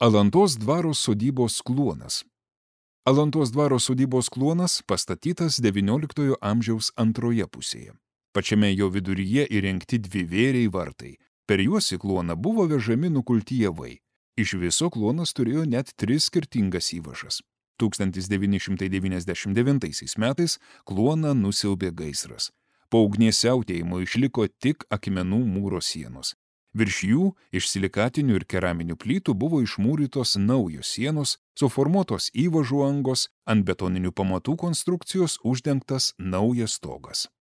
Alantos dvaro sodybos kluonas. Alantos dvaro sodybos kluonas pastatytas XIX amžiaus antroje pusėje. Pačiame jo viduryje įrengti dvi vėriai vartai. Per juos į kluoną buvo vežami nukulti javai. Iš viso kluonas turėjo net 3 skirtingas įvažas. 1999 metais kluoną nusiaubė gaisras. Po ugnies siautėjimo išliko tik akmenų mūro sienos. Virš jų iš silikatinių ir keraminių plytų buvo išmūrytos naujos sienos, suformuotos įvažų angos, ant betoninių pamatų konstrukcijos uždengtas naujas stogas.